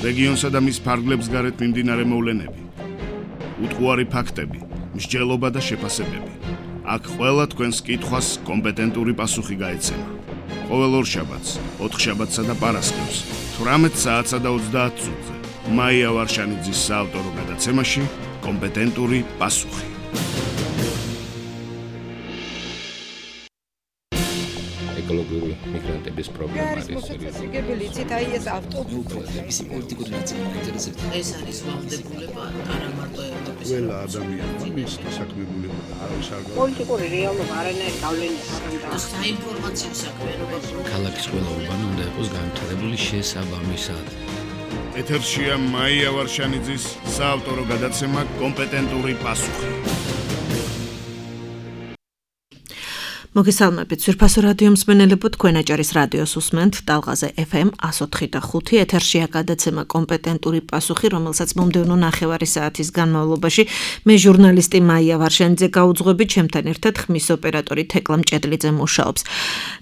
რეგიონსა და მის ფარგლებს გარეთ მიმდინარე მოვლენები, უტყუარი ფაქტები, მსჯელობა და შეფასებები. აქ ყველა თქვენს კითხვას კომპეტენტური პასუხი გაეცემა. ყოველ ორშაბათს, ოთხშაბათსა და პარასკევს, 18 საათსა და 30 წუთზე, მაია ვარშანიძის საავტორო გადაცემაში კომპეტენტური პასუხი. ეკოლოგიური მიგრანტების პრობლემა არის. ეს ავტობუსების პოლიტიკური ნაწილი ინტერესებს. ეს არის ვალდებულება არა მარტო ევროპის. ყველა ადამიანმა მის დასაქმებულება და არავის არ გავა. პოლიტიკური რეალობა არანაირ გავლენას არ აქვს. საინფორმაციო საქმიანობა ქალაქის ყველა უბანი უნდა იყოს განვითარებული შესაბამისად. ეთერშია მაია ვარშანიძის საავტორო გადაცემა კომპეტენტური პასუხი. მოგესალმებით, ძვირფასო რადიო მსმენელებო, თქვენ აჭარის რადიოს უსმენთ ტალღაზე FM 104.5 ეთერშია გადაცემა კომპეტენტური პასუხი, რომელსაც მომდევნო ნახევარი საათის განმავლობაში მე ჟურნალისტი მაია ვარშანიძე გაუძღვებით, ჩემთან ერთად ხმის ოპერატორი თეკლა მჭედლიძე მუშაობს.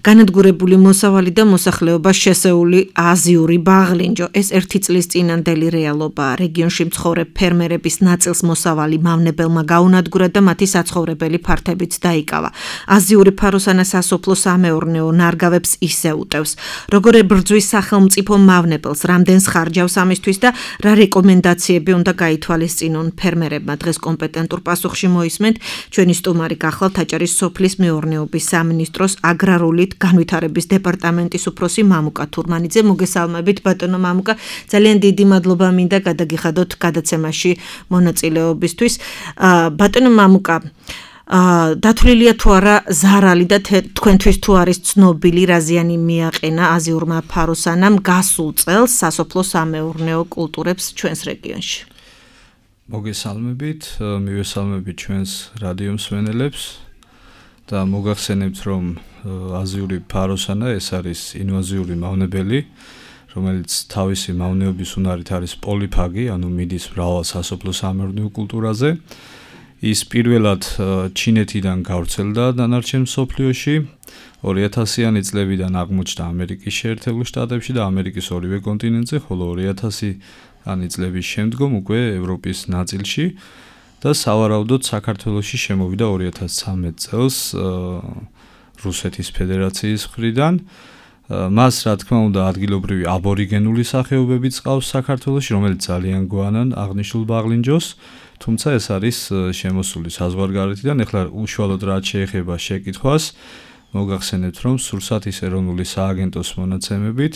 განადგურებული მოსავალი და მოსახლეობა შესეული აზიური ბაღლინჯო, ეს ერთი წლის წინანდელი რეალობაა. რეგიონში მცხოვრებ ფერმერების ნაწილს მოსავალი მავნებელმა გაუნადგურა და მათი საცხოვრებელი ფართებით დაიკავა. აზიური ფაროსანა სასოფლო სამეურნეო ნარგავებს ისე უტევს. როგორ ებრძვის სახელმწიფო მავნებელს, რამდენს ხარჯავს ამისთვის და რა რეკომენდაციები უნდა გაითვალისწინონ ფერმერებმა. დღეს კომპეტენტურ პასუხში მოისმენთ ჩვენი სტუმარი გახლავთ აჭარის სოფლის მეურნეობის სამინისტროს აგრარული განვითარების დეპარტამენტის უფროსი მამუკა თურმანიძე. მოგესალმებით ბატონო მამუკა, ძალიან დიდი მადლობა მინდა გადაგიხადოთ გადაცემაში მონაწილეობისთვის. ბატონო მამუკა, დათვლილია თუ არა ზარალი და თქვენთვის თუ არის ცნობილი რა ზიანი მიაყენა აზიურმა ფაროსანამ გასულ წელს სასოფლო სამეურნეო კულტურებს ჩვენს რეგიონში. მოგესალმებით, მივესალმებით ჩვენს რადიო მსმენელებს და მოგახსენებთ, რომ აზიური ფაროსანა ეს არის ინვაზიური მავნებელი, რომელიც თავისი მავნეობის უნარით არის პოლიფაგი, ანუ მიდის მრავალ სასოფლო სამეურნეო კულტურაზე. ის პირველად ჩინეთიდან გავრცელდა დანარჩენ მსოფლიოში 2000-იანი წლებიდან აღმოჩნდა ამერიკის შეერთებულ შტატებში და ამერიკის ორივე კონტინენტზე, ხოლო 2000-იანი წლების შემდგომ უკვე ევროპის ნაწილში და სავარაუდოდ საქართველოში შემოვიდა 2013 წელს რუსეთის ფედერაციის მხრიდან. მას რა თქმა უნდა ადგილობრივი აბორიგენული სახეობებიც ყავს საქართველოში, რომელიც ძალიან გვანან აღნიშნულ ბაღლინჯოს. თუმცა ეს არის შემოსული საზღვარგარეთიდან. ეხლა უშუალოდ რაც შეეხება შეკითხვას, მოგახსენებთ, რომ სურსათის ეროვნული სააგენტოს მონაცემებით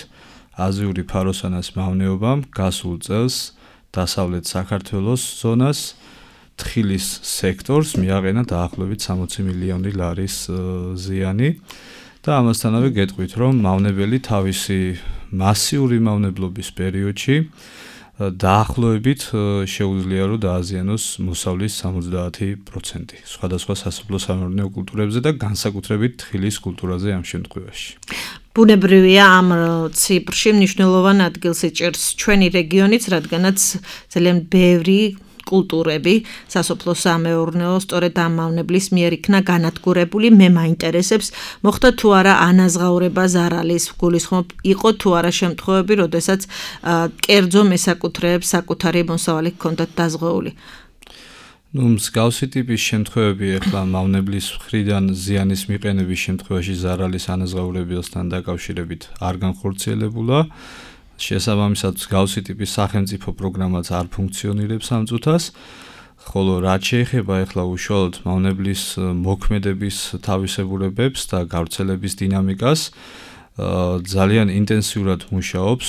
აზიური ფაროსანას მავნეობამ გასულ წელს დასავლეთ საქართველოს ზონას თხილის სექტორს მიაყენა დაახლოებით 60 მილიონი ლარის ზიანი. და ამასთანავე გეტყვით, რომ მავნებელი თავისი მასიური მავნებლობის პერიოდში დაახლოებით შეუძლია რომ დააზიანოს მოსავლის 70%. სხვადასხვა სასოფლო სამეურნეო კულტურებზე და განსაკუთრებით თხილის კულტურაზე ამ შემთხვევაში. ბუნებრივია ამ ციფრში მნიშვნელოვან ადგილს ეჭერს ჩვენი რეგიონიც, რადგანაც ძალიან ბევრი კულტურები სასოფლო სამეურნეო სწორედ ამ მავნებლის მიერ იქნა განადგურებული. მე მაინტერესებს, მოხდა თუ არა ანაზღაურება ზარალის, გულისხმობ იყო თუ არა შემთხვევები, როდესაც კერძო მესაკუთრეებს საკუთარი მოსავალი ჰქონდათ დაზღვეული. მსგავსი ტიპის შემთხვევები ახლა მავნებლის მხრიდან ზიანის მიყენების შემთხვევაში ზარალის ანაზღაურებასთან დაკავშირებით არ განხორციელებულა. შესაბამისად მსგავსი ტიპის სახელმწიფო პროგრამაც არ ფუნქციონირებს ამ წუთას, ხოლო რაც შეეხება ახლა უშუალოდ მავნებლის მოქმედების თავისებურებებს და გავრცელების დინამიკას, ძალიან ინტენსიურად მუშაობს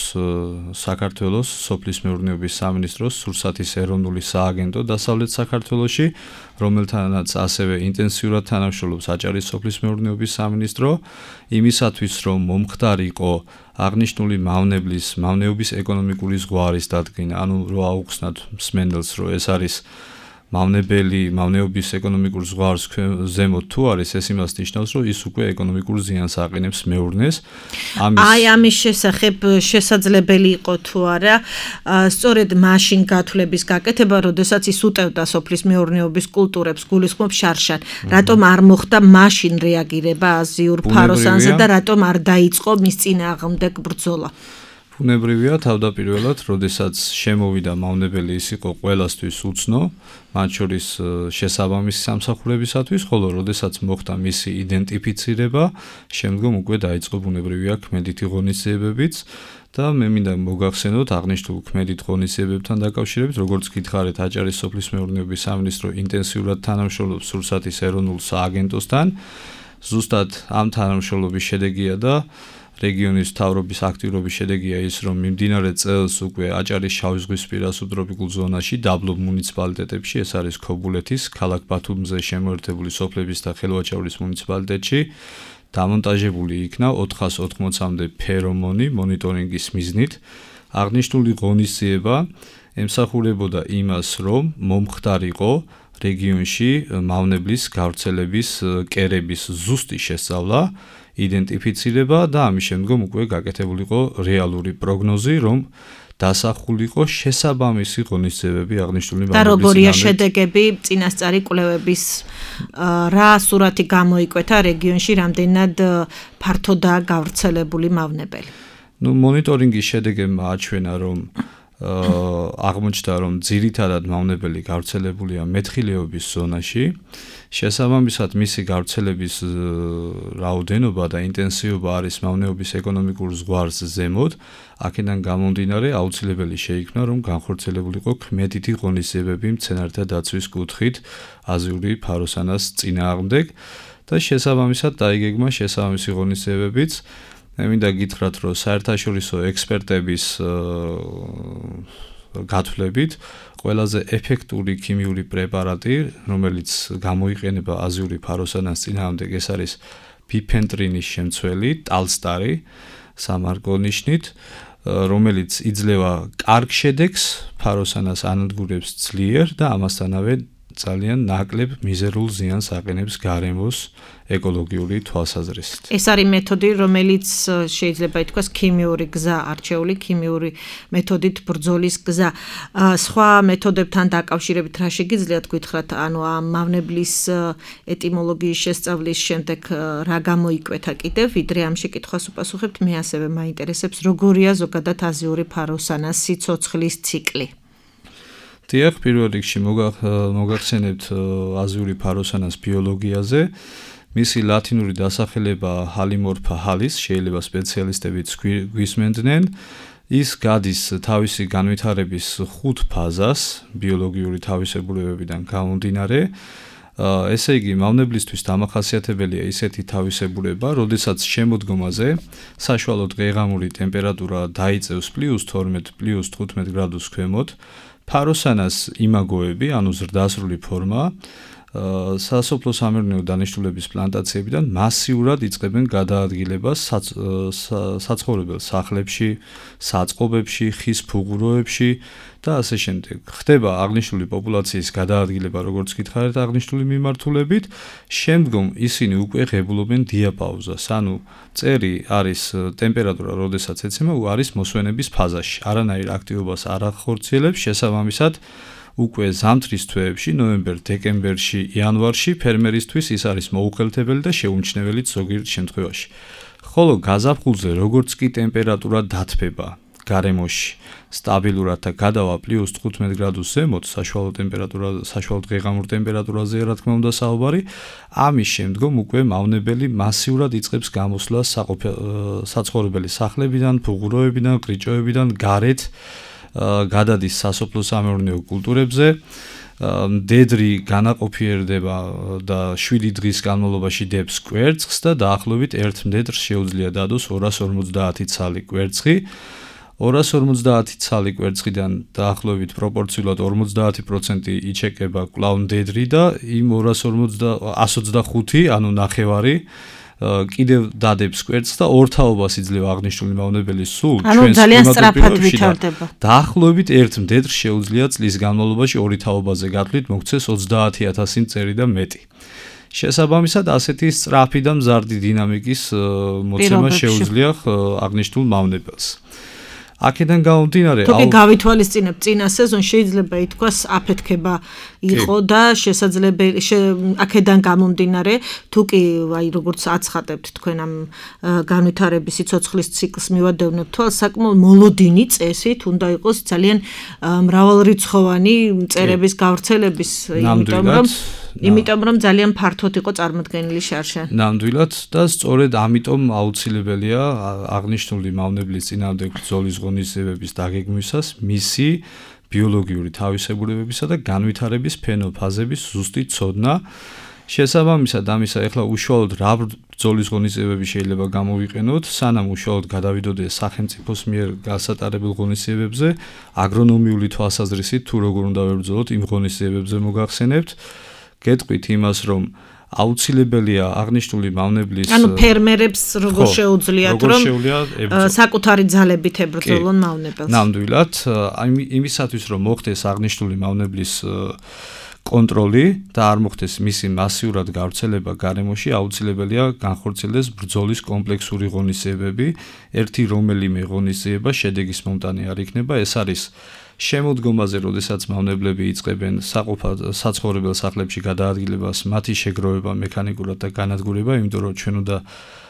საქართველოს სოფლის მეურნეობის სამინისტროს სურსათის ეროვნული სააგენტო დასავლეთ საქართველოში, რომელთანაც ასევე ინტენსიურად თანამშრომლობს აჭარის სოფლის მეურნეობის სამინისტრო, იმისათვის რომ მომხდარიყო აღნიშნული მავნეობის ეკონომიკური ზღვარის დადგენა, ანუ რო აუხსნათ მსმენელს, რომ ეს არის მავნეობის ეკონომიკურ ზღვარს ზემოთ თუ არის, ეს იმას ნიშნავს, რომ ის უკვე ეკონომიკურ ზიანს აყენებს მეურნეს. ამის შესახებ შესაძლებელი იყო თუ არა სწორედ მაშინ გათვლების გაკეთება, როდესაც ის უტევდა სოფლის მეურნეობის კულტურებს, გულისხმობ შარშან. რატომ არ მოხდა მაშინ რეაგირება აზიურ ფაროსანზე და რატომ არ დაიწყო მის წინააღმდეგ ბრძოლა? ბუნებრივია თავდაპირველად, როდესაც შემოვიდა მავნებელი, ის იყო ყველასთვის უცნო, მათ შორის შესაბამისი სამსახურებისათვის, ხოლო როდესაც მოხდა მისი იდენტიფიცირება, შემდგომ უკვე დაიწყო ბუნებრივია ქმედითი ღონისძიებებიც და მე მინდა მოგახსენოთ აღნიშნულ ქმედით ღონისძიებებთან დაკავშირებით, როგორც გითხარით, აჭარის სოფლის მეურნეობის სამინისტრო ინტენსიურად თანამშრომლობს სურსათის ეროვნულ სააგენტოსთან. ზუსტად ამ თანამშრომლობის შედეგია და რეგიონის მთავრობის აქტიურობის შედეგია ის, რომ მიმდინარე წელს უკვე აჭარის შავიზღვისპირა სუბტროპიკულ ზონაში, დაბლობ მუნიციპალიტეტებში, ეს არის ქობულეთის, ქალაქ ბათუმზე შემოერთებული სოფლების და ხელვაჭაურის მუნიციპალიტეტში, დამონტაჟებული იქნა 480-მდე ფერომონი მონიტორინგის მიზნით. აღნიშნული ღონისძიება ემსახურებოდა იმას, რომ მომხდარიყო რეგიონში მავნებლის გავრცელების კერების ზუსტი შესწავლა, იდენტიფიცირება და ამის შემდგომ უკვე გაკეთებულიყო რეალური პროგნოზი, რომ დასახულიყო შესაბამისი ღონისძიებები აღნიშნული მავნებლის. და როგორია შედეგები წინასწარი კვლევების, რა სურათი გამოიკვეთა რეგიონში, რამდენად ფართოდაა გავრცელებული მავნებელი? მონიტორინგის შედეგებმა აჩვენა, რომ აღმოჩნდა, რომ ძირითადად მავნებელი გავრცელებულია მეთხილეობის ზონაში. შესაბამისად, მისი გავრცელების რაოდენობა და ინტენსივობა არის მავნეობის ეკონომიკურ ზღვარს ზემოთ. აქედან გამომდინარე, აუცილებელი შეიქმნა, რომ განხორციელებულიყო ქმედითი ღონისძიებები მცენარეთა დაცვის კუთხით აზიური ფაროსანას წინააღმდეგ და შესაბამისად დაიგეგმა შესაბამისი ღონისძიებებიც. მე მინდა გითხრათ, რომ საერთაშორისო ექსპერტების გათვლებით ყველაზე ეფექტური ქიმიური პრეპარატი, რომელიც გამოიყენება აზიური ფაროსანას წინააღმდეგ, ეს არის ბიფენტრინის შემცველი, ტალსტარი, სამარკო ნიშნით, რომელიც იძლევა კარგ შედეგს, ფაროსანას ანადგურებს ძლიერ და ამასთანავე ძალიან ნაკლებ მიზერულ ზიანს აყენებს გარემოს ეკოლოგიური თვალსაზრისით. ეს არის მეთოდი, რომელიც შეიძლება ითქვას ქიმიური გზა, არჩეული ქიმიური მეთოდით ბრძოლის გზა. სხვა მეთოდებთან დაკავშირებით რა შეგიძლიათ გითხრათ, ანუ ამ მავნებლის ეტიმოლოგიის შესწავლის შემდეგ რა გამოიკვეთა კიდევ, ვიდრე ამ შეკითხვას უპასუხებთ, მე ასევე მაინტერესებს, როგორია ზოგადად აზიური ფაროსანას სიცოცხლის ციკლი. დიახ, პირველ რიგში მოგახსენებთ აზიური ფაროსანას ბიოლოგიაზე. მისი ლათინური დასახელება ჰალიმორფა ჰალის, შეიძლება სპეციალისტებიც გვისმენდნენ. ის გადის თავისი განვითარების 5 ფაზას, ბიოლოგიური თავისებურებებიდან გამომდინარე. ესე იგი, მავნებლისთვის დამახასიათებელია ისეთი თავისებურება, როდესაც შემოდგომაზე საშუალო დღეღამური ტემპერატურა დაიწევს +12, +15 გრადუს ქვემოთ. ფაროსანას იმაგოები, ანუ ზრდასრული ფორმა, სასოფლო სამეურნეო დანიშნულების პლანტაციებიდან მასიურად იწყებენ გადაადგილებას საცხოვრებელ სახლებში, საწყობებში, ხის ფუღუროებში და ასე შემდეგ. ხდება აღნიშნული პოპულაციის გადაადგილება, როგორც გითხარით, აღნიშნული მიმართულებით, შემდგომ ისინი უკვე ღებულობენ დიაპაუზას, ანუ წერი არის ტემპერატურა, როდესაც ეცემა, არის მოსვენების ფაზაში. არანაირ აქტივობას არ ახორციელებს, შესაბამისად უკვე ზამთრის თვეებში, ნოემბერ-დეკემბერში, იანვარში ფერმერისთვის ის არის მოუხელთებელი და შეუმჩნეველი ზოგიერთ შემთხვევაში. ხოლო გაზაფხულზე, როგორც კი ტემპერატურა დათბება გარემოში სტაბილურად და გადავა +15 გრადუს ზემოთ, საშუალო დღეღამურ ტემპერატურაზეა რა თქმა უნდა საუბარი, ამის შემდგომ უკვე მავნებელი მასიურად იწყებს გამოსვლას საცხოვრებელი სახლებიდან, ფუღუროებიდან, გრიჭოებიდან გარეთ, გადადის სასოფლო სამეურნეო კულტურებზე, მდედრი განაყოფიერდება და 7 დღის განმავლობაში დებს კვერცხს და დაახლოებით 1 მდედრს შეუძლია დადოს 250 ცალი კვერცხი. 250 ცალი კვერცხიდან დაახლოებით პროპორციულად 50% იჩეკება კვლავ მდედრი და იმ 125, ანუ ნახევარი კიდევ დადებს კვერცხს და ორთაობას იძლევა აღნიშნული მავნებელი სულ ჩვენს კლიმატურ ვითარდება. დაახლოებით 1 მდედრს შეუძლია წლის განმავლობაში 2 თაობაზე გათვლით მოგცეს 30,000 მწერი და მეტი. შესაბამისად, ასეთი სწრაფი და მზარდი დინამიკის მოცემა შეუძლია აღნიშნულ მავნებელს. აქედან გამომდინარე, თუ კი გავითვალისწინებთ წინა სეზონს, შეიძლება ითქვას აფეთქება იყო და შესაძლებელი აქედან გამომდინარე თუ კი აი როგორც აცხადებთ თქვენ ამ განვითარების სიცოცხლის ციკლს მივადევნებთ თვალს საკმაოდ მოლოდინი წესით უნდა იყოს ძალიან მრავალრიცხოვანი წერების გავრცელების იმიტომ რომ ძალიან ფართოდ იყო წარმოდგენილი შარშა. ნამდვილად და სწორედ ამიტომ აუცილებელია აღნიშნული მავნებლის წინააღმდეგ ბრძოლის ღონისძიებების დაგეგმვისას მისი ბიოლოგიური თავისებურებებისა და განვითარების ფენოფაზების ზუსტი ცოდნა. შესაბამისად ამისა ეხლა უშუალოდ რა ბრძოლის ღონისძიებები შეიძლება გამოვიყენოთ, სანამ უშუალოდ გადავიდოდეთ სახელმწიფოს მიერ გასატარებულ ღონისძიებებზე, აგრონომიული თვალსაზრისით თუ როგორ უნდა ვებრძოლოთ იმ ღონისძიებებზე მოგახსენებთ. გეტყვით იმას, რომ აუცილებელია აღნიშნული მავნებლის ფერმერებს როგორ შეუძლიათ რომ საკუთარი ძალებით ებრძოლონ მავნებელს. ნამდვილად, იმისათვის რომ მოხდეს აღნიშნული მავნებლის კონტროლი და არ მოხდეს მისი მასიურად გავრცელება გარემოში, აუცილებელია განხორციელდეს ბრძოლის კომპლექსური ღონისძიებები, ერთი რომელიმე ღონისძიება შედეგის მომტანი არ იქნება, ეს არის შემოდგომაზე, როდესაც მავნებლები იწყებენ საცხოვრებელ სახლებში გადაადგილებას, მათი შეგროვება მექანიკურად და განადგურება, იმიტომ რომ ჩვენ უნდა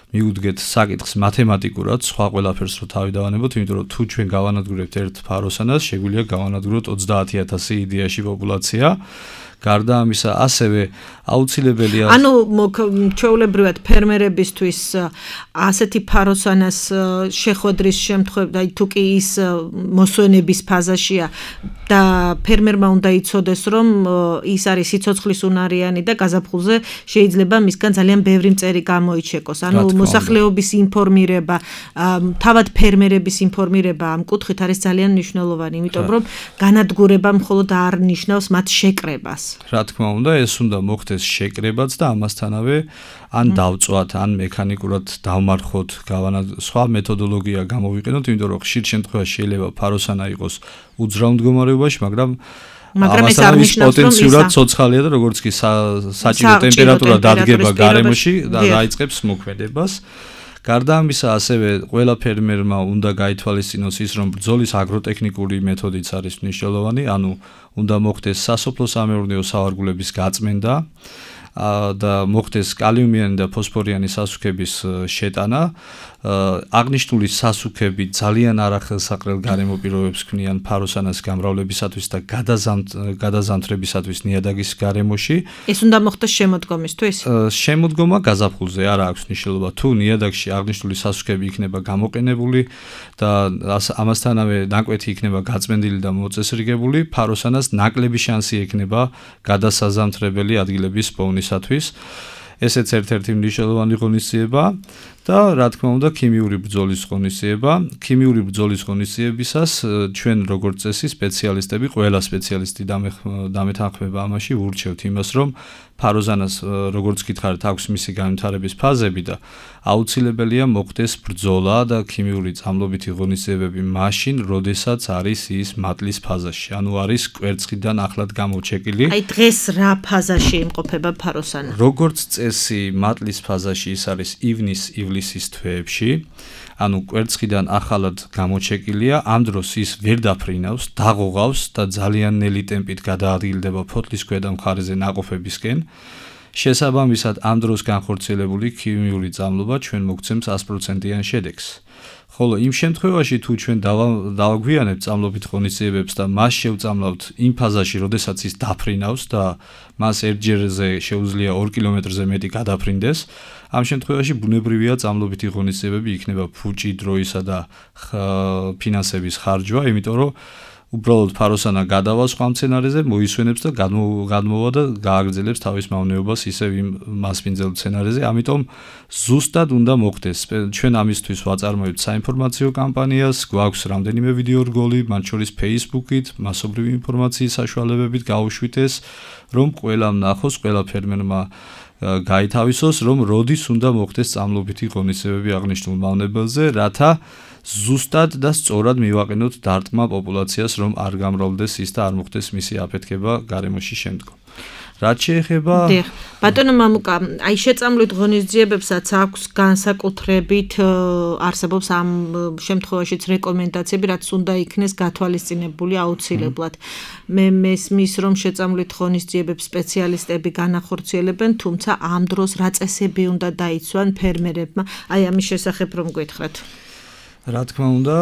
მიუდგეთ საკითხს მათემატიკურად, სხვა ყველაფერს რო თავი დავანებოთ, იმიტომ რომ თუ ჩვენ გავანადგურებთ ერთ ფაროსანას, შეგვიძლია გავანადგუროთ 30,000 იდეაში პოპულაცია. გარდა ამისა, ასევე აუცილებელია ჩვეულებრივად ფერმერებისთვის ასეთი ფაროსანას შეხვედრის შემთხვევაში, თუ კი ის მოსვენების ფაზაშია და ფერმერმა უნდა იცოდეს, რომ ის არის სიცოცხლის უნარიანი და გაზაფხულზე შეიძლება მისგან ძალიან ბევრი მწერი გამოიჩეკოს. მოსახლეობის ინფორმირება, თავად ფერმერების ინფორმირება ამ კუთხით არის ძალიან მნიშვნელოვანი, იმიტომ რომ განადგურება მხოლოდ არ ნიშნავს მათ შეკრებას. რა თქმა უნდა, ეს უნდა მოხდეს შეკრებაც და ამასთანავე ან დავწვათ, ან მექანიკურად დავმარხოთ, სხვა მეთოდოლოგია გამოვიყენოთ, იმიტომ რომ ხშირ შემთხვევაში შეიძლება ფაროსანა იყოს უძრავ მდგომარეობაში, მაგრამ ეს არ ნიშნავს, რომ პოტენციურად ცოცხალია და როგორც კი საჭირო ტემპერატურა დადგება გარემოში და დაიწყებს მოქმედებას. გარდა ამისა, ასევე ყველა ფერმერმა უნდა გაითვალისწინოს ის, რომ ბრძოლის აგროტექნიკური მეთოდიც არის მნიშვნელოვანი, ანუ უნდა მოხდეს სასოფლო-სამეურნეო სავარგულების გაწმენდა და მოხდეს კალიუმიანი და ფოსფორიანი სასუქების შეტანა. აღნიშნული სასუქები ძალიან არახელსაყრელ გარემო პირობებს ქმნიან ფაროსანას გამრავლებისათვის და გადაზამთრებისათვის ნიადაგის გარემოში. ეს უნდა მოხდეს შემოდგომისთვის? შემოდგომა გაზაფხულზე არ აქვს მნიშვნელობა. თუ ნიადაგში აღნიშნული სასუქები იქნება გამოყენებული და ამასთანავე ნაკვეთი იქნება გაწმენდილი და მოწესრიგებული, ფაროსანას ნაკლები შანსი ექნება გადასაზამთრებელი ადგილების პოვნისათვის. ესეც ერთ-ერთი მნიშვნელოვანი ღონისძიება და რა თქმა უნდა ქიმიური ბრძოლის ღონისძიება. ქიმიური ბრძოლის ღონისძიებისას ჩვენ როგორც წესი სპეციალისტები, ყველა სპეციალისტი დამეთანხმება ამაში, ურჩევთ იმას, რომ ფაროზანას როგორც გითხარით, აქვს მისი განვითარების ფაზები და აუცილებელია მოხდეს ბრძოლა და ქიმიური წამლობითი ღონისძიებები მაშინ, როდესაც არის ის მატლის ფაზაში, ანუ არის კვერცხიდან ახლად გამოჩეკილი. აი დღეს რა ფაზაში იმყოფება ფაროსანა? როგორც წესი, მატლის ფაზაში ის არის ივნისის თვეებში, ანუ კვერცხიდან ახალად გამოჩეკილია, ამ დროს ის ვერ დაფრინავს, დაღოღავს და ძალიან ნელი ტემპით გადაადგილდება ფოთლის ქვედა მხარეზე ნაყოფებისკენ. შესაბამისად, ამ დროს განხორციელებული ქიმიური წამლობა ჩვენ მოგცემს 100%-იან შედეგს. ხოლო იმ შემთხვევაში, თუ ჩვენ დავაგვიანებთ წამლობით ღონისძიებებს და მას შევწამლავთ იმ ფაზაში, როდესაც ის დაფრინავს და მას ერთჯერზე შეუძლია 2 კილომეტრზე მეტი გადაფრინდეს, ამ შემთხვევაში ბუნებრივია წამლობითი ღონისძიებები იქნება ფუჭი, დროისა და ფინანსების ხარჯვა, იმიტომ რომ უბრალოდ ფაროსანა გადავა სხვა მცენარეზე, მოისვენებს და გადმოვა და გააგრძელებს თავის მავნეობას ისევ იმ მასპინძელ მცენარეზე. ამიტომ ზუსტად უნდა მოხდეს. ჩვენ ამისთვის ვაწარმოებთ საინფორმაციო კამპანიას, გვაქვს რამდენიმე ვიდეო რგოლი, მათ შორის Facebook-ით, მასობრივი ინფორმაციის საშუალებებით გავუშვით ეს, რომ ყველამ ნახოს, ყველა ფერმერმა გაითავისოს, რომ როდის უნდა მოხდეს წამლობითი ღონისძიებები აღნიშნულ მავნებელზე, რათა ზუსტად და სწორად მივაყენოთ დარტყმა პოპულაციას, რომ არ გამრავლდეს ის და არ მოხდეს მისი აფეთქება გარემოში შემდგომ. რაც შეეხება ბატონო მამუკა, აი შეწამლით ღონისძიებებსაც აქვს განსაკუთრებით არსებობს ამ შემთხვევაშიც რეკომენდაციები, რაც უნდა იქნეს გათვალისწინებული აუცილებლად. მე მესმის, რომ შეწამლით ღონისძიებებს სპეციალისტები განახორციელებენ, თუმცა ამ დროს რა წესები უნდა დაიცვან ფერმერებმა? აი ამის შესახებ რომ გითხრათ. რა თქმა უნდა,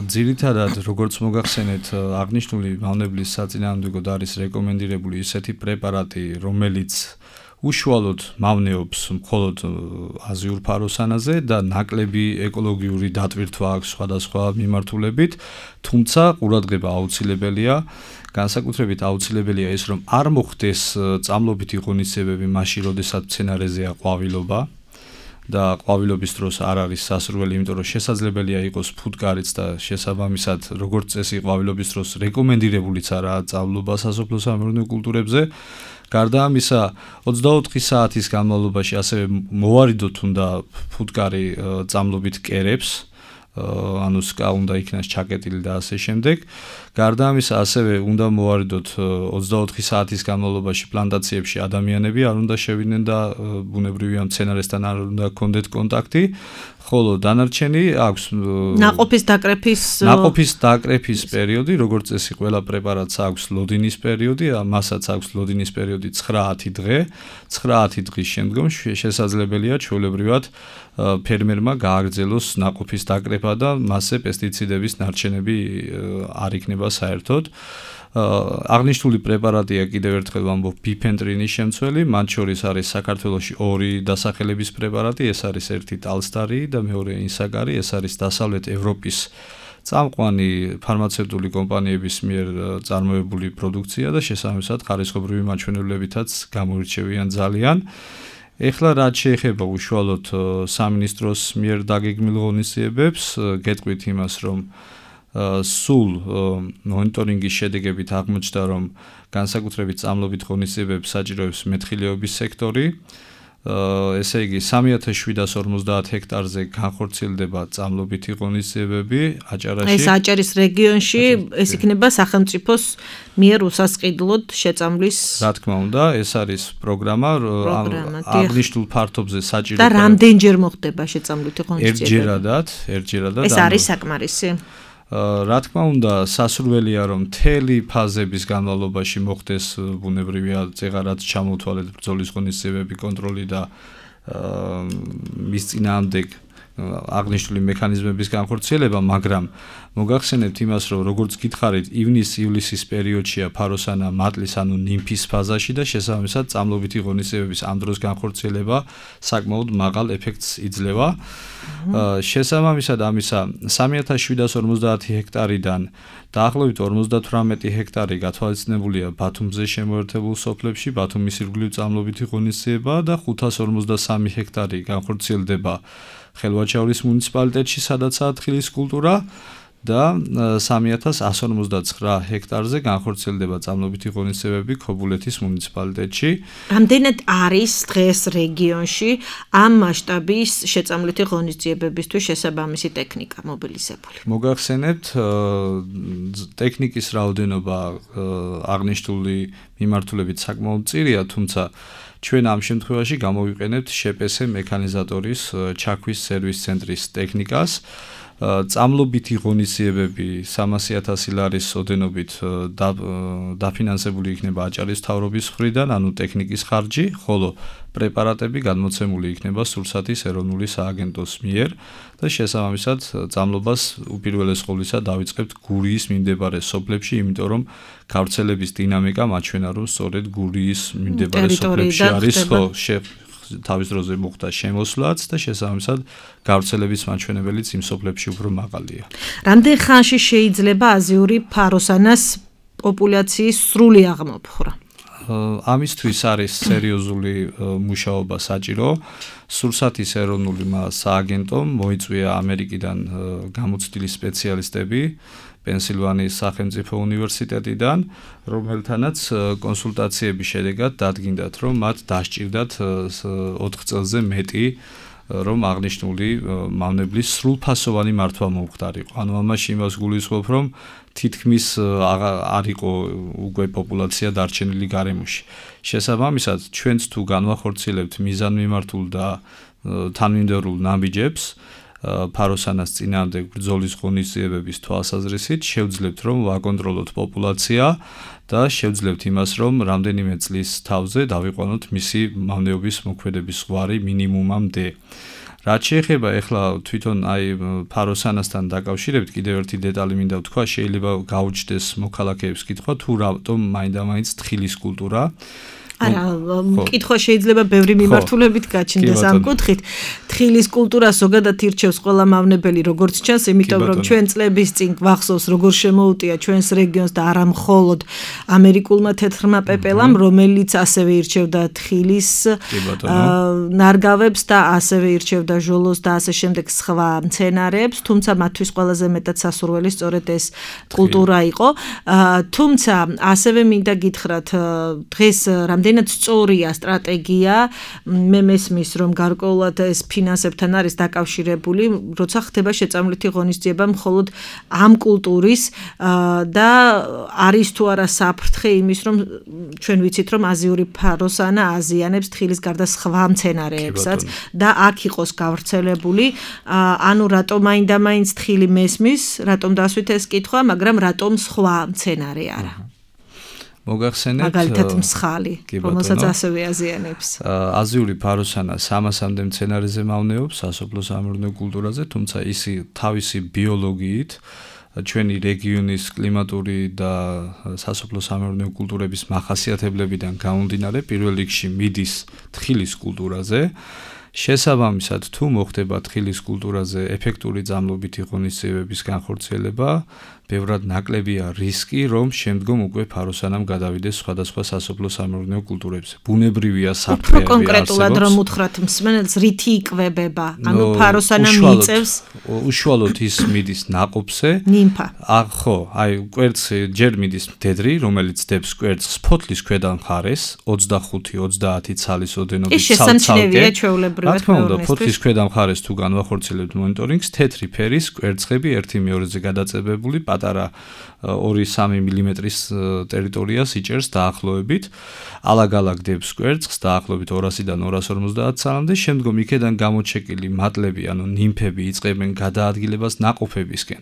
ძირითადად როგორც მოგახსენეთ, აღნიშნული მავნებლის საწინააღმდეგოდ არის რეკომენდირებული ისეთი პრეპარატი, რომელიც უშუალოდ მავნეობს მხოლოდ აზიურ ფაროსანაზე და ნაკლები ეკოლოგიური დატვირთვა აქვს სხვადასხვა მიმართულებით, თუმცა ყურადღება აუცილებელია. განსაკუთრებით აუცილებელია ის, რომ არ მოხდეს წამლობითი ღონისძიებები მაშინ, როდესაც მცენარეზეა ყვავილობა. და ყვავილობის დროს არ არის სასურველი, იმიტომ რომ შესაძლებელია იყოს ფუტკარიც და შესაბამისად როგორც წესი ყვავილობის დროს რეკომენდირებულიც არაა წამლობა სასოფლო-სამეურნეო კულტურებზე. გარდა ამისა, 24 საათის განმავლობაში ასევე მოვარიდოთ უნდა ფუტკარი წამლობით კერებს, ანუ სკა უნდა იქნას ჩაკეტილი და ასე შემდეგ. გარდა ამისა, ასევე უნდა მოვარიდოთ 24 საათის განმავლობაში პლანტაციებში ადამიანები არ უნდა შევიდნენ და ბუნებრივია მცენარესთან არ უნდა ჰქონდეთ კონტაქტი. ხოლო დანარჩენი აქვს ნაყოფის დაკრეფის პერიოდი, როგორც წესი ყველა პრეპარატს აქვს ლოდინის პერიოდი, მასაც აქვს ლოდინის პერიოდი 9-10 დღე. 9-10 დღის შემდგომ შესაძლებელია ჩვეულებრივად ფერმერმა გააგრძელოს ნაყოფის დაკრეფა და მასზე პესტიციდების ნარჩენები არ იქნება საერთოდ. აღნიშნული პრეპარატია კიდევ ერთხელ ვამბობ ბიფენტრინის შემცველი, მათ შორის არის საქართველოში 2 დასახელების პრეპარატი, ეს არის ერთი ტალსტარი და მეორე ინსაგარი, ეს არის დასავლეთ ევროპის წამყვანი ფარმაცევტული კომპანიების მიერ წარმოებული პროდუქცია და შესაბამისად ხარისხობრივი მაჩვენებლებითაც გამოირჩევიან ძალიან. ეხლა რაც შეეხება უშუალოდ სამინისტროს მიერ დაგეგმილ ღონისძიებებს, გეტყვით იმას, რომ სულ მონიტორინგის შედეგებით აღმოჩნდა, რომ განსაკუთრებით წამლობით ღონისძიებებს საჭიროებს მეთხილეობის სექტორი. ესე იგი 3750 ჰექტარზე განხორციელდება წამლობითი ღონისძიებები აჭარაში. ეს აჭარის რეგიონში ეს იქნება სახელმწიფოს მიერ უსასყიდლოდ შეწამლის. რა თქმა უნდა, ეს არის პროგრამა, აღნიშნულ ფართობზე საჭირო და რამდენჯერ მოხდება შეწამლითი ღონისძიებები? ერთჯერადად. ეს არის საკმარისი. რა თქმა უნდა, სასურველია რომ მთელი ფაზების განმავლობაში მოხდეს ბუნებრივია წეღარად ჩამოთვალეთ ბრძოლის ღონისძიებები, კონტროლი და მის წინააღმდეგ აღნიშნული მექანიზმების განხორციელება, მაგრამ მოგახსენებთ იმას, რომ როგორც გითხარით, ივნის-ივლისის პერიოდშია ფაროსანა მატლის ანუ ნიმფის ფაზაში და შესაბამისად წამლობითი ღონისძიებების ამ დროს განხორციელება საკმაოდ მაღალ ეფექტს იძლევა. შესაბამისად ამისა 3750 ჰექტარიდან დაახლოებით 58 ჰექტარი გათვალისწინებულია ბათუმზე შემოერთებულ სოფლებში, ბათუმის ირგვლივ წამლობითი ღონისძიება და 553 ჰექტარი განხორციელდება ხელვაჩაურის მუნიციპალიტეტში, სადაცაა თხილის კულტურა და 3159 ჰექტარზე განხორციელდება წამლობითი ღონისძიებები ქობულეთის მუნიციპალიტეტში. რამდენად არის დღეს რეგიონში ამ მასშტაბის შეწამლითი ღონისძიებებისთვის შესაბამისი ტექნიკა მობილიზებული? მოგახსენებთ, ტექნიკის რაოდენობა აღნიშნული მიმართულებით საკმაოდ მწირია, თუმცა ჩვენ ამ შემთხვევაში გამოვიყენებთ შპს მექანიზატორის ჩაქვის სერვის ცენტრის ტექნიკას. წამლობითი ღონისძიებები 300,000 ლარის ოდენობით დაფინანსებული იქნება აჭარის მთავრობის მხრიდან, ანუ ტექნიკის ხარჯი, ხოლო პრეპარატები გადმოცემული იქნება სურსათის ეროვნული სააგენტოს მიერ და შესაბამისად წამლობას უპირველეს ყოვლისა დავიწყებთ გურიის მიმდებარე სოფლებში, იმიტომ რომ გავრცელების დინამიკა მაჩვენა, რომ სწორედ გურიის მიმდებარე სოფლებში არის თავის დროზე მოხდა შემოსვლაც და შესაბამისად გავრცელების მაჩვენებელიც იმ სოფლებში უფრო მაღალია. რამდენ ხანში შეიძლება აზიური ფაროსანას პოპულაციის სრული აღმოფხვრა? ამისთვის არის სერიოზული მუშაობა საჭირო. სურსათის ეროვნული სააგენტომ მოიწვია ამერიკიდან გამოცდილი სპეციალისტები პენსილვანიის სახელმწიფო უნივერსიტეტიდან, რომელთანაც კონსულტაციების შედეგად დადგინდათ, რომ მათ დასჭირდათ 4 წელზე მეტი რომ აღნიშნული მავნებლის სრულფასოვანი მართვა მომხდარიყო. ანუ ამაში იმას გულისხმობ, რომ თითქმის არ იყო უკვე პოპულაცია დარჩენილი გარემოში. შესაბამისად, ჩვენც თუ განვახორციელებთ მიზანმიმართულ და თანმიმდევრულ ნაბიჯებს ფაროსანას წინააღმდეგ ბრძოლის ღონისძიებების თვალსაზრისით შევძლებთ, რომ ვაკონტროლოთ პოპულაცია და შევძლებთ იმას, რომ რამდენიმე წლის თავზე დავიყვანოთ მისი მავნეობის მოქმედების ზღვარი მინიმუმამდე. რაც შეეხება ახლა თვითონ ფაროსანასთან დაკავშირებით კიდევ ერთი დეტალი მინდა ვთქვა, შეიძლება გაუჩნდეს მოქალაქეებს კითხვა თუ რატომ მაინდა-მაინც თხილის კულტურა არა, კითხვა შეიძლება ბევრი მიმართულებით გაჩნდეს ამ კუთხით. თხილის კულტურა ზოგადად ირჩევს ყველა მავნებელი, როგორც ჩანს, იმიტომ რომ ჩვენ წლების წინ გვახსოვს, როგორ შემოუტია ჩვენს რეგიონს და არა მხოლოდ ამერიკულმა თეთრმა პეპელამ, რომელიც ასევე ირჩევდა თხილის ნარგავებს და ასევე ირჩევდა ჟოლოს და ასე შემდეგ სხვა მცენარეებს, თუმცა მათთვის ყველაზე მეტად სასურველი სწორედ ეს კულტურა იყო. თუმცა ასევე მინდა გითხრათ, დღეს რამდენად სწორია სტრატეგია, მე მესმის, რომ გარკვეულად ეს ფინანსებთან არის დაკავშირებული, როცა ხდება შეწამლითი ღონისძიება მხოლოდ ამ კულტურის და არის თუ არა საფრთხე იმის, რომ ჩვენ ვიცით, რომ აზიური ფაროსანა აზიანებს თხილის გარდა სხვა მცენარეებსაც და აქ იყოს გავრცელებული, ანუ რატომ მაინდა-მაინც თხილი მესმის, რატომ დასვით ეს კითხვა, მაგრამ რატომ სხვა მცენარე არა. მოგახსენებთ მაგალითად მსხალი, რომელსაც ასევე აზიანებს. აზიური ფაროსანა 300-მდე მცენარეზე მავნეობს სასოფლო-სამეურნეო კულტურაზე, თუმცა ისი თავისი ბიოლოგიით ჩვენი რეგიონის კლიმატური და სასოფლო-სამეურნეო კულტურების მახასიათებლებიდან გამომდინარე, პირველ რიგში მიდის თხილის კულტურაზე. შესაბამისად, თუ მოხდება თხილის კულტურაზე ეფექტური ძამლობითი ღონისძიებების განხორციელება, ბევრად ნაკლებია რისკი, რომ შემდგომ უკვე ფაროსანამ გადავიდეს სხვადასხვა სასოფლო-სამეურნეო კულტურებზე. ბუნებრივია საფრთხეები უფრო კონკრეტულად რომ უთხრათ მსმენელს, რითი იკვებება? ანუ ფაროსანა მიიწევს უშუალოდ ის მიდის ნაყოფზე. ნიმფა. ხო, კვერცხი ჯერ მიდის მდედრი, რომელიც დებს კვერცხს ფოთლის ქვედა მხარეს, 25-30 ცალის ოდენობით ეს შესამჩნევია ჩვეულებრივად. რა თქმა უნდა, ფოთლის ქვედა მხარეს თუ განვახორციელებთ მონიტორინგს, თეთრი ფერის კვერცხები 1-2-ზე გადაწებებული პატარა 2-3 მმ-ის ტერიტორიას იჭერს დაახლოებით. ალაგ-ალაგ დებს კვერცხს დაახლოებით 200-დან 250 ცალამდე, შემდგომ იქედან გამოჩეკილი მატლები, ანუ ნიმფები იწყებენ გადაადგილებას ნაყოფებისკენ.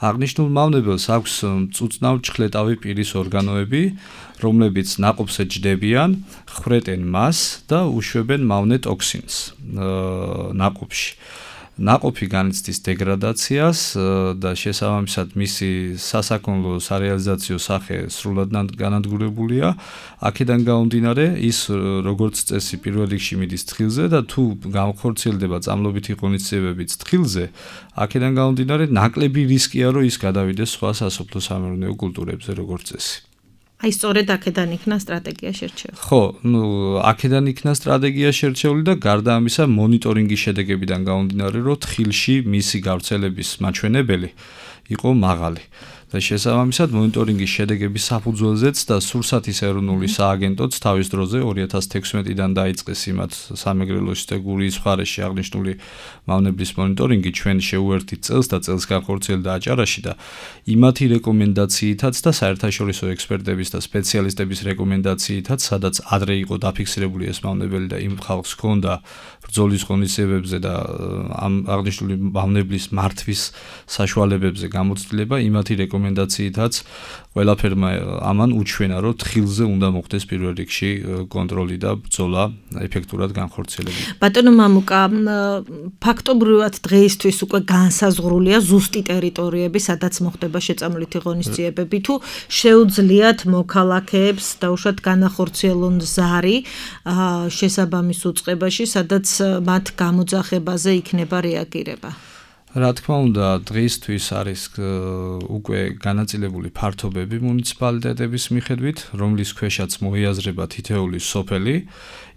აღნიშნულ მავნებელს აქვს მწუწნავ-ჩხლეტავი პირის ორგანოები, რომლებიც ნაყოფზე ჯდებიან, ხვრეტენ მას და უშვებენ მავნე ტოქსინს ნაყოფში. ნაყოფი განიცდის დეგრადაციას და შესაბამისად მისი სასაქონლო სარეალიზაციო სახე სრულად განადგურებულია. აქედან გამომდინარე, ის როგორც წესი პირველ რიგში მიდის თხილზე და თუ განხორციელდება წამლობითი ღონისძიებებიც თხილზე, აქედან გამომდინარე, ნაკლები რისკია, რომ ის გადავიდეს სხვა სასოფლო-სამეურნეო კულტურებზე როგორც წესი. აი სწორედ აქედან იქნა სტრატეგია შერჩეული. ხო, აქედან იქნა სტრატეგია შერჩეული და გარდა ამისა მონიტორინგის შედეგებიდან გამომდინარე, რომ თხილში მისი გავრცელების მაჩვენებელი იყო მაღალი. და შესაბამისად მონიტორინგის შედეგების საფუძველზეც და სურსათის ეროვნული სააგენტოც თავის დროზე 2016-დან დაიწყეს იმათ სამეგრელოში და გურიის მხარეში აღნიშნული მავნებლის მონიტორინგი ჩვენ შეუერთით წელს და წელს განხორციელდა აჭარაში და იმათი რეკომენდაციითაც და საერთაშორისო ექსპერტების და სპეციალისტების რეკომენდაციითაც, სადაც ადრე იყო დაფიქსირებული ეს მავნებელი და იმ ხალხს ჰქონდა ბრძოლის ღონისძიებებზე და ამ აღნიშნული მავნებლის მართვის საშუალებებზე გამოცდილება, იმათი რეკომენდაციითაც ყველაფერმა ამან უჩვენა, რომ თხილზე უნდა მოხდეს პირველ რიგში კონტროლი და ბრძოლა ეფექტურად განხორციელებული. ბატონო მამუკა, ფაქტობრივად დღეისთვის უკვე განსაზღვრულია ზუსტი ტერიტორიები, სადაც მოხდება შეწამლითი ღონისძიებები, თუ შეუძლიათ მოქალაქეებს დაუშვათ განახორციელონ ზარი შესაბამის უწყებაში, სადაც მათ გამოძახებაზე იქნება რეაგირება. რა თქმა უნდა, დღისთვის არის უკვე განაწილებული ფართობები მუნიციპალიტეტების მიხედვით, რომლის ქვეშაც მოიაზრება თითეული სოფელი.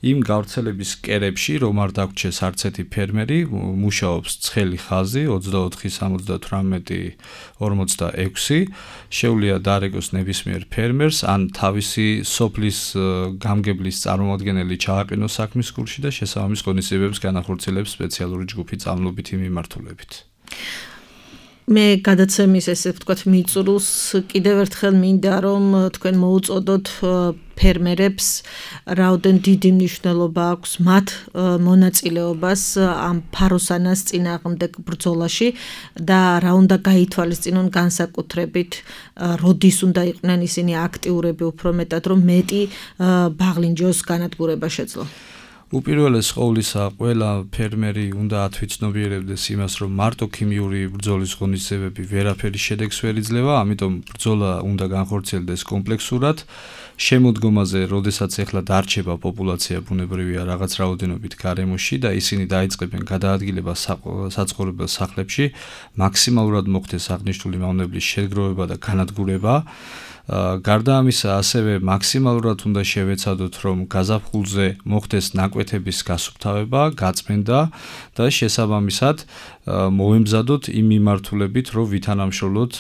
იმ გავრცელების კერებში, რომ არ დაგვრჩეს არც ერთი ფერმერი, მუშაობს ცხელი ხაზი 24-78-46. შეუძლია დარეგოს ნებისმიერ ფერმერს ან თავისი სოფლის გამგებლის წარმომადგენელი ჩააყენოს საქმის კურსში და შესაბამის ღონისძიებებს განახორციელებს სპეციალური ჯგუფი წამლობითი მიმართულებით. მე გადაცემის ესე ვთქვათ მიწურულს კიდევ ერთხელ მინდა რომ თქვენ მოუწოდოთ ფერმერებს რაოდენ დიდი მნიშვნელობა აქვს მათ მონაწილეობას ამ ფაროსანას წინააღმდეგ ბრძოლაში და რა უნდა გაითვალისწინონ განსაკუთრებით როდის უნდა იყვნენ ისინი აქტიურები უფრო მეტად რომ მეტი ბაღლინჯოს განადგურება შეძლო. უპირველეს ყოვლისა, ყველა ფერმერი უნდა ათვიცნობიერებდეს იმას, რომ მარტო ქიმიური ბრძოლის ღონისძიებები ვერაფერი შედეგს ვერ იძლევა, ამიტომ ბრძოლა უნდა განხორციელდეს კომპლექსურად. შემოდგომაზე, როდესაც ეხლა დარჩება პოპულაცია ბუნებრივია რაღაც რაოდენობით გარემოში და ისინი დაიწყებენ გადაადგილებას საცხოვრებელ სახლებში, მაქსიმალურად მოხდეს აღნიშნული მავნებლის შეგროვება და განადგურება. გარდა ამისა, ასევე მაქსიმალურად უნდა შევეცადოთ, რომ გაზაფხულზე მოხდეს ნაკვეთების გასუფთავება, გაწმენდა და შესაბამისად მოვემზადოთ იმ მიმართულებით, რომ ვითანამშრომლოთ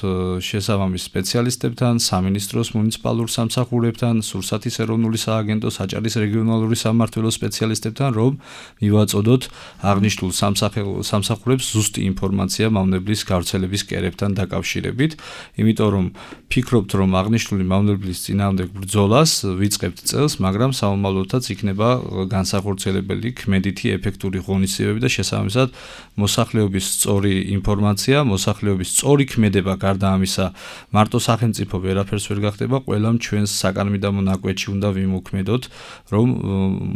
შესაბამის სპეციალისტებთან, სამინისტროს მუნიციპალურ სამსახურებთან, სურსათის ეროვნული სააგენტოს, აჭარის რეგიონალური სამმართველოს სპეციალისტებთან, რომ მივაწოდოთ აღნიშნულ სამსახურებს ზუსტი ინფორმაცია მავნებლის გავრცელების კერებთან დაკავშირებით, იმიტომ რომ ფიქრობთ, რომ აღნიშნული მავნებლის წინააღმდეგ ბრძოლას ვიწყებთ წელს, მაგრამ საომალოდაც იქნება განსახორციელებელი ქმედითი ეფექტური ღონისძიებები და შესაბამისად მოსახლეობის სწორი ინფორმაცია, მოსახლეობის სწორი ქმედება გარდა ამისა, მარტო სახელმწიფო ვერაფერს ვერ გახდება, ყველამ ჩვენს საკანმიდამო ნაკვეთში უნდა ვიმოქმედოთ, რომ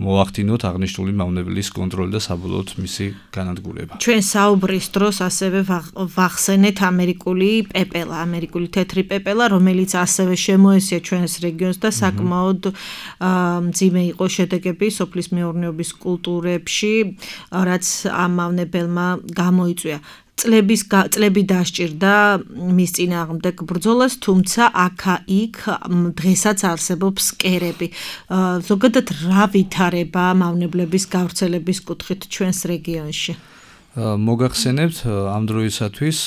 მოახდინოთ აღნიშნული მავნებლის კონტროლი და საბოლოოდ მისი განადგურება. ჩვენ საუბრის დროს ასევე ვახსენეთ ამერიკული პეპელა, ამერიკული თეთრი პეპელა, რომელიც ასევე შემოესია ჩვენს რეგიონს და საკმაოდ მძიმე იყო შედეგები სოფლის მეურნეობის კულტურებში, რაც ამ მავნებელმა გამოიწვია. წლები დასჭირდა მის წინააღმდეგ ბრძოლას, თუმცა აქა-იქ დღესაც არსებობს კერები. ზოგადად რა ვითარება მავნებლების გავრცელების კუთხით ჩვენს რეგიონში? მოგახსენებთ, ამ დროისათვის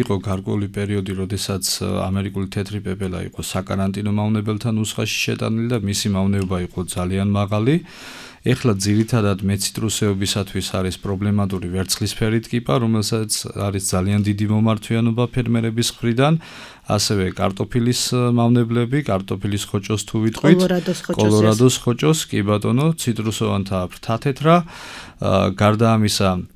იყო გარკვეული პერიოდი, როდესაც ამერიკული თეთრი პეპელა იყო საკარანტინო მავნებელთა ნუსხაში შეტანილი და მისი მავნეობა იყო ძალიან მაღალი. ეხლა ძირითადად მეციტრუსეობისათვის არის პრობლემატური ვერცხლისფერი ტკიპა, რომელსაც არის ძალიან დიდი მომართვიანობა ფერმერების მხრიდან, ასევე კარტოფილის მავნებლები, კარტოფილის ხოჭოს თუ ვიტყვით, კოლორადოს ხოჭოს, კი ბატონო, ციტრუსოვანთა ფრთათეთრა, გარდა ამისა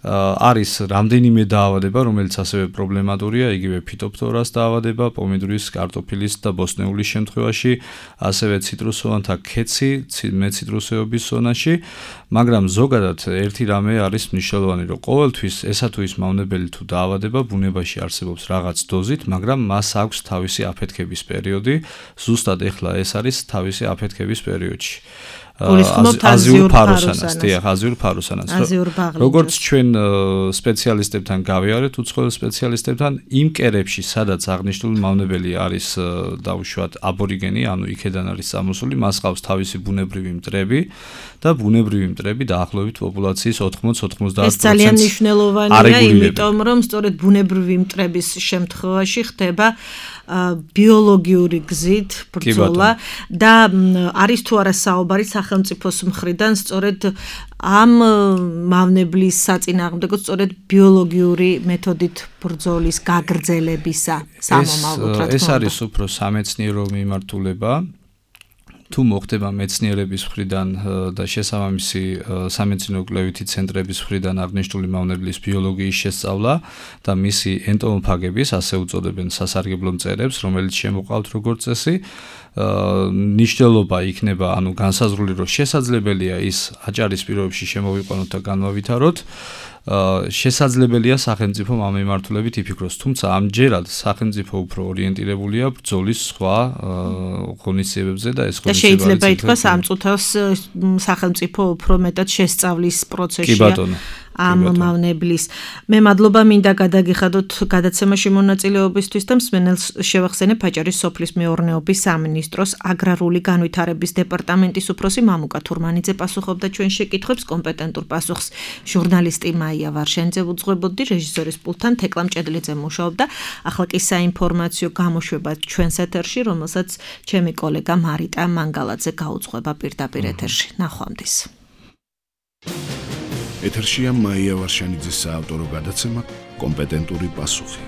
არის რამდენიმე დაავადება, რომელიც ასევე პრობლემატურია, იგივე ფიტოფთორას დაავადება, პომიდორის, კარტოფილის და ბოსტნეულის შემთხვევაში, ასევე ციტრუსოვანთა ქეცი, მეციტრუსეობის ზონაში, მაგრამ ზოგადად ერთი რამე არის მნიშვნელოვანი, რომ ყოველთვის ესა თუ ის მავნებელი თუ დაავადება ბუნებაში არსებობს რაღაც დოზით, მაგრამ მას აქვს თავისი აფეთქების პერიოდი, ზუსტად ეხლა ეს არის თავისი აფეთქების პერიოდში. აზიურ ფაროსანას. როგორც ჩვენ სპეციალისტებთან გავიარეთ, უცხოელ სპეციალისტებთან, იმ კერებში, სადაც აღნიშნული მავნებელი არის დაუშვათ აბორიგენი, ანუ იქედან არის წამოსული, მას ყავს თავისი ბუნებრივი მტრები და ბუნებრივი მტრები დაახლოებით პოპულაციის 80-90%. ეს ძალიან მნიშვნელოვანია, იმიტომ რომ სწორედ ბუნებრივი მტრების შემთხვევაში ხდება ბიოლოგიური გზით ბრძოლა და არის თუ არა საუბარი სახელმწიფოს მხრიდან სწორედ ამ მავნებლის საწინააღმდეგო სწორედ ბიოლოგიური მეთოდით ბრძოლის გაგრძელებისა სამომავლოდ რა თქმა უნდა. ეს არის უფრო სამეცნიერო მიმართულება. თუ მოხდება მეცნიერების მხრიდან და შესაბამისი სამეცნიერო კვლევითი ცენტრების მხრიდან აღნიშნული მავნებლის ბიოლოგიის შესწავლა და მისი ენტომოფაგების, ასე უწოდებენ სასარგებლო მწერებს, რომელიც შემოყავთ როგორც წესი, ნიშნულობა იქნება, ანუ განსაზღვრული, რომ შესაძლებელია ის აჭარის პირობებში შემოვიყვანოთ და განვავითაროთ. შესაძლებელია სახელმწიფო ამ მიმართულებით იფიქროს, თუმცა ამჯერად სახელმწიფო უფრო ორიენტირებულია ბრძოლის სხვა ღონისძიებებზე და ეს ღონისძიებები შეიძლება ითქვას ამ წუთას სახელმწიფო უფრო მეტად შესწავლის პროცესია. კი ბატონო. ამ მავნებლის. მე მადლობა მინდა გადაგიხადოთ გადაცემაში მონაწილეობისთვის და მსმენელს შევახსენებ აჭარის სოფლის მეურნეობის სამინისტროს აგრარული განვითარების დეპარტამენტის უფროსი მამუკა თურმანიძე პასუხობდა ჩვენ შეკითხვებს, კომპეტენტურ პასუხს ჟურნალისტი მაია ვარშენიძე უძღვებოდი, რეჟისორის პულტთან თეკლა მჭედლიძე მუშაობდა. ახლა კი საინფორმაციო გამოშვება ჩვენს ეთერში, რომელსაც ჩემი კოლეგა მარიტა მანგალაძე გაუძღვება პირდაპირ ეთერში. ნახვამდის. ეთერშია მაია ვარშენიძის საავტორო გადაცემა კომპეტენტური პასუხი.